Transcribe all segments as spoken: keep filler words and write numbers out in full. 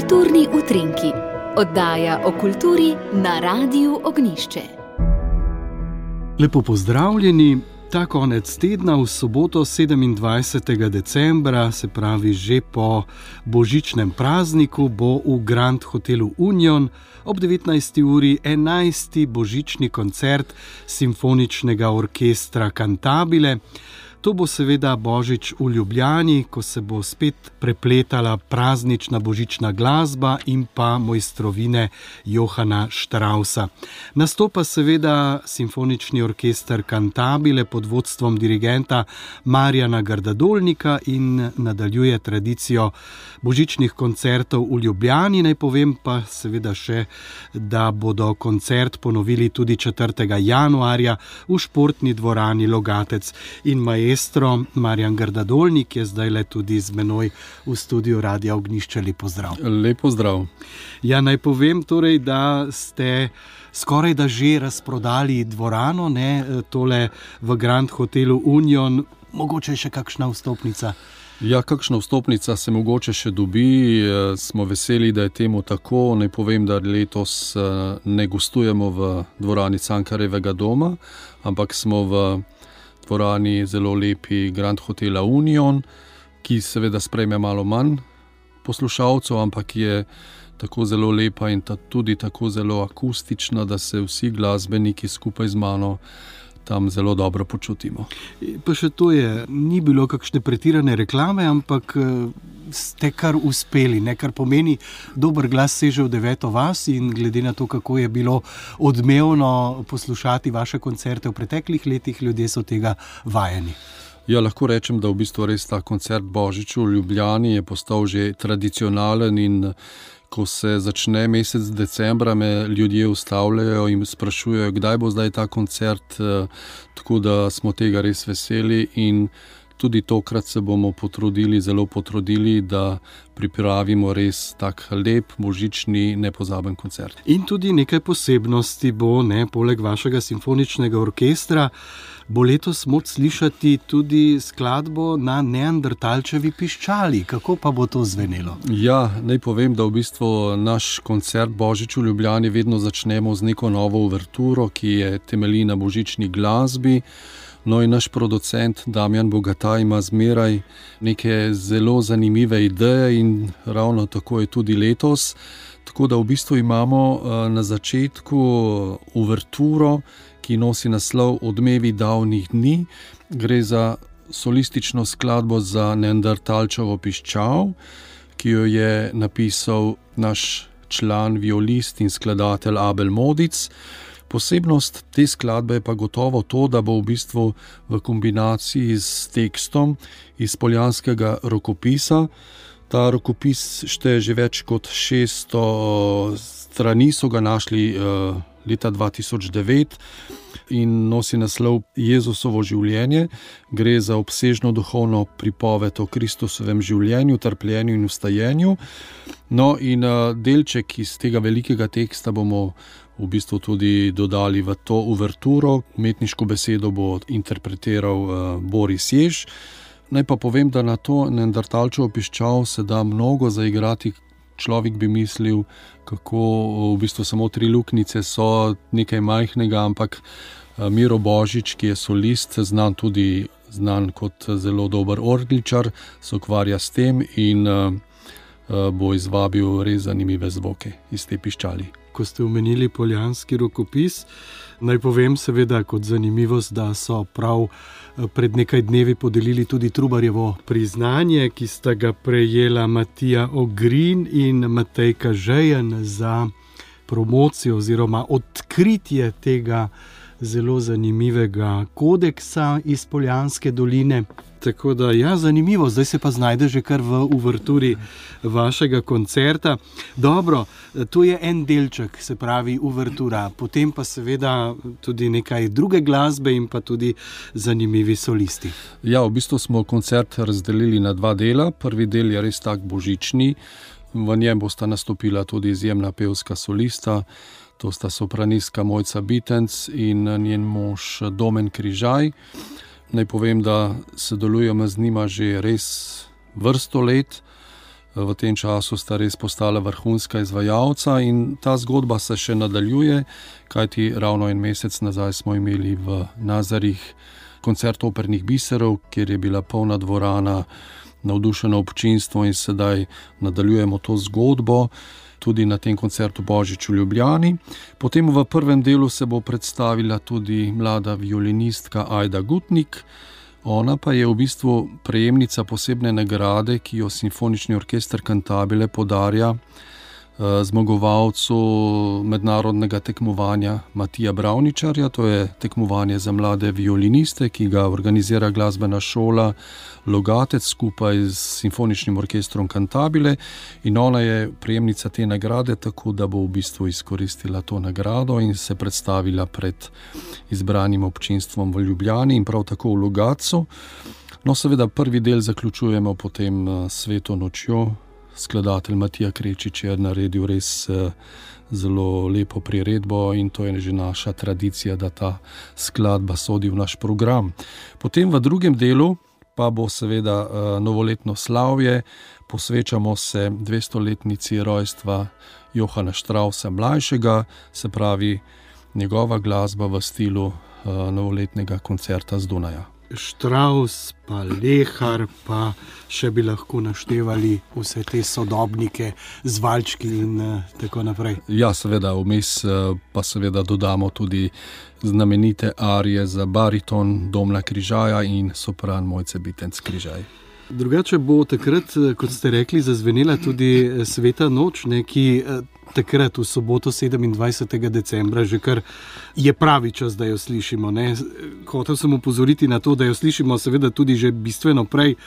Kulturni utrinki, oddaja o kulturi na Radiu Ognjišče. Lepo pozdravljeni. Ta konec tedna v soboto sedemindvajsetega decembra, se pravi že po božičnem prazniku, bo v Grand hotelu Union ob devetnajsti uri enajsti božični koncert simfoničnega orkestra Cantabile. To bo seveda božič v Ljubljani, ko se bo spet prepletala praznična božična glasba in pa mojstrovine Johana Straussa. Nastopa seveda simfonični orkester Cantabile pod vodstvom dirigenta Marjana Gardadolnika in nadaljuje tradicijo božičnih koncertov v Ljubljani. Naj povem pa seveda še, da bodo koncert ponovili tudi četrtega januarja v športni dvorani Logatec in maestro Marjan Gardadolnik je zdaj le tudi z menoj v studiu Radia Ognjišče. Lep pozdrav. Lep pozdrav. Ja, naj povem torej, da ste skoraj da že razprodali dvorano, ne, tole v Grand hotelu Union. Mogoče še kakšna vstopnica? Ja, kakšna vstopnica se mogoče še dobi. Smo veseli, da je temu tako. Naj povem, da letos ne gostujemo v dvorani Cankarjevega doma, ampak smo v dvorani zelo lepi Grand hotela Union, ki seveda sprejme malo manj poslušalcev, ampak je tako zelo lepa in ta, tudi tako zelo akustična, da se vsi glasbeniki skupaj z mano tam zelo dobro počutimo. Pa še to je, ni bilo kakšne pretirane reklame, ampak ste kar uspeli, ne? Kar pomeni, dober glas seže v deveto vas in glede na to, kako je bilo odmevno poslušati vaše koncerte v preteklih letih, ljudje so tega vajeni. Ja, lahko rečem, da v bistvu res ta koncert Božič v Ljubljani je postal že tradicionalen in ko se začne mesec decembra, me ljudje ustavljajo in sprašujejo, kdaj bo zdaj ta koncert, tako da smo tega res veseli in tudi tokrat se bomo potrudili, zelo potrudili, da pripravimo res tak lep, božični, nepozaben koncert. In tudi nekaj posebnosti bo, ne, poleg vašega simfoničnega orkestra, bo letos moč slišati tudi skladbo na Neandertalčevi piščali. Kako pa bo to zvenelo? Ja, naj povem, da v bistvu naš koncert Božič v Ljubljani vedno začnemo z neko novo uverturo, ki je temelji na božični glasbi. No in naš producent Damjan Bogataj ima zmeraj neke zelo zanimive ideje in ravno tako je tudi letos. Tako da v bistvu imamo na začetku uverturo, ki nosi naslov Odmevi davnih dni. Gre za solistično skladbo za Neandertalčevo piščal, ki jo je napisal naš član, violist in skladatelj Abel Modic. Posebnost te skladbe je pa gotovo to, da bo v bistvu v kombinaciji s tekstom iz poljanskega rokopisa. Ta rokopis šteje že več kot šeststo strani, so ga našli uh, leta dva tisoč devet in nosi naslov Jezusovo življenje. Gre za obsežno duhovno pripoved o Kristusovem življenju, trpljenju in vstajenju. No in uh, delček iz tega velikega teksta bomo v bistvu tudi dodali v to uverturo. Umetniško besedo bo interpretiral uh, Boris Jež. Naj pa povem, da na to Neandertalčevo piščal se da mnogo zaigrati. Človek bi mislil, kako v bistvu samo tri luknjice so nekaj majhnega, ampak uh, Miro Božič, ki je solist, znan tudi znan kot zelo dober orgličar, se ukvarja s tem in uh, uh, bo izvabil res zanimive zvoke iz te piščali. Ko ste omenili poljanski rokopis, naj povem seveda kot zanimivost, da so prav pred nekaj dnevi podelili tudi Trubarjevo priznanje, ki sta ga prejela Matija Ogrin in Matej Kažejen za promocijo oziroma odkritje tega zelo zanimivega kodeksa iz Poljanske doline. Tako da, ja, zanimivo, zdaj se pa znajde že kar v uverturi vašega koncerta. Dobro, to je en delček, se pravi uvertura, potem pa seveda tudi nekaj druge glasbe in pa tudi zanimivi solisti. Ja, v bistvu smo koncert razdelili na dva dela. Prvi del je res tak božični, v njem bosta nastopila tudi izjemna pevska solista, to sta sopranistka Mojca Bitenc in njen mož Domen Križaj. Naj povem, da sodelujemo z njima že res vrsto let V tem času sta res postala vrhunska izvajalca in ta zgodba se še nadaljuje, kajti ravno en mesec nazaj smo imeli v Nazarih koncert opernih biserov, kjer je bila polna dvorana, navdušeno občinstvo in sedaj nadaljujemo to zgodbo tudi na tem koncertu Božič v Ljubljani. Potem v prvem delu se bo predstavila tudi mlada violinistka Ajda Gutnik. Ona pa je v bistvu prejemnica posebne nagrade, ki jo Simfonični orkester Cantabile podarja zmagovalcu mednarodnega tekmovanja Matija Bravničarja. To je tekmovanje za mlade violiniste, ki ga organizira glasbena šola Logatec skupaj s Simfoničnim orkestrom Cantabile. In ona je prejemnica te nagrade, tako da bo v bistvu izkoristila to nagrado in se predstavila pred izbranim občinstvom v Ljubljani in prav tako v Logatcu. No, seveda prvi del zaključujemo potem Sveto nočjo. Skladatelj Matija Krečič je naredil res zelo lepo priredbo in to je že naša tradicija, da ta skladba sodi v naš program. Potem v drugem delu pa bo seveda novoletno slavje, posvečamo se dvestoletnici rojstva Johana Straussa mlajšega, se pravi njegova glasba v stilu novoletnega koncerta z Dunaja. Strauss, pa Lehar, pa še bi lahko naštevali vse te sodobnike z valčki in uh, tako naprej. Ja, seveda, vmes uh, pa seveda dodamo tudi znamenite arije za bariton Domna Križaja in sopran Mojce Bitenc Križaj. Drugače bo takrat, kot ste rekli, zazvenela tudi Sveta noč, ne, ki takrat v soboto sedemindvajsetega decembra že kar je pravi čas, da jo slišimo. Ne. Hotel sem upozoriti na to, da jo slišimo seveda tudi že bistveno prej,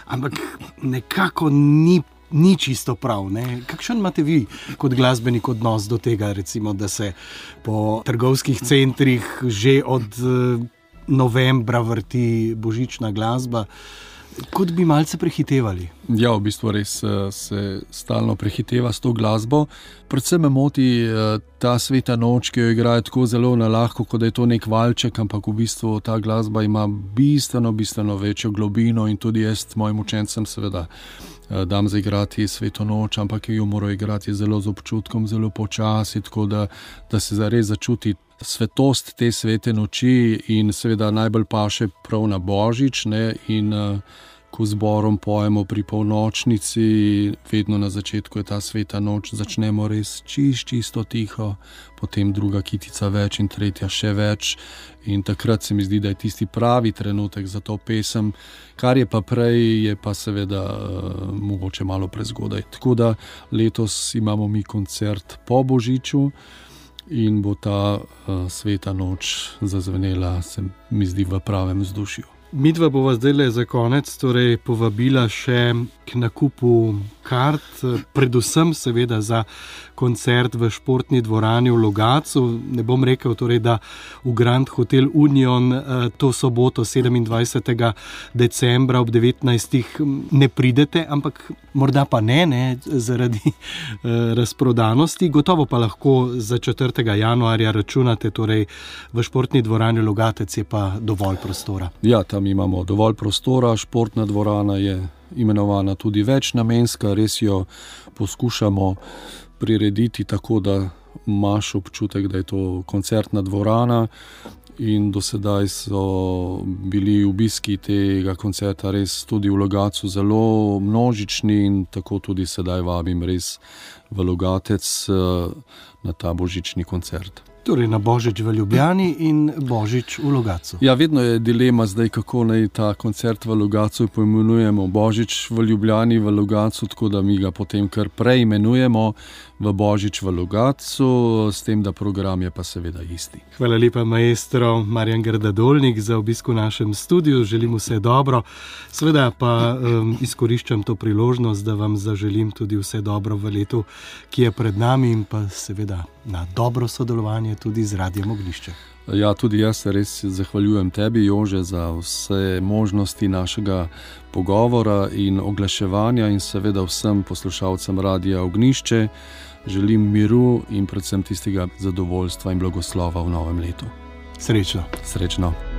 ampak nekako ni, ni čisto prav. Ne. Kakšen imate vi kot glasbenik odnos do tega, recimo, da se po trgovskih centrih že od novembra vrti božična glasba? Kot bi malce prehitevali. Ja, v bistvu res se stalno prehiteva s to glasbo. Predvsem me moti ta Sveta noč, ki jo igrajo tako zelo na lahko, kot da je to nek valček, ampak v bistvu ta glasba ima bistveno, bistveno večjo globino in tudi jaz mojim učencem seveda dam zaigrati Sveto noč, ampak jo morajo igrati zelo z občutkom, zelo počasi, tako da, da se zares začuti svetost te svete noči in seveda najbolj paše prav na Božič, ne, in uh, ko zborom pojemo pri polnočnici, vedno na začetku je ta Sveta noč, začnemo res čist, čisto tiho, potem druga kitica več in tretja še več in takrat se mi zdi, da je tisti pravi trenutek za to pesem, kar je pa prej, je pa seveda uh, mogoče malo prezgodaj. Tako da letos imamo mi koncert po Božiču, in bo ta uh, Sveta noč zazvenela, se mi zdi, v pravem vzdušju. Midva bova zdajle za konec torej povabila še k nakupu kart, predvsem seveda za koncert v športni dvorani v Logatcu. Ne bom rekel torej, da v Grand Hotel Union to soboto sedemindvajsetega decembra ob devetnajstih ne pridete, ampak morda pa ne, ne zaradi razprodanosti. Gotovo pa lahko za četrtega januarja računate, torej v športni dvorani Logatec je pa dovolj prostora. Ja, tam imamo dovolj prostora, športna dvorana je imenovana tudi večnamenska, res jo poskušamo prirediti tako, da imaš občutek, da je to koncertna dvorana in do sedaj so bili obiski tega koncerta res tudi v Logatcu zelo množični in tako tudi sedaj vabim res v Logatec na ta božični koncert. Torej na Božič v Ljubljani in Božič v Logatcu. Ja, vedno je dilema zdaj, kako naj ta koncert v Logatcu poimenujemo. Božič v Ljubljani v Logatcu, tako da mi ga potem kar preimenujemo v Božič v Logatcu, s tem, da program je pa seveda isti. Hvala lepa, maestro Marjan Grda-Dolnik, za obisk v našem studiu. Želim vse dobro. Seveda pa um, izkoriščam to priložnost, da vam zaželim tudi vse dobro v letu, ki je pred nami in pa seveda na dobro sodelovanje tudi z Radiem Ognjišče. Ja, tudi jaz se res zahvaljujem tebi, Jože, za vse možnosti našega pogovora in oglaševanja in seveda vsem poslušalcem Radia Ognjišče. Želim miru in predvsem tistega zadovoljstva in blagoslova v novem letu. Srečno. Srečno.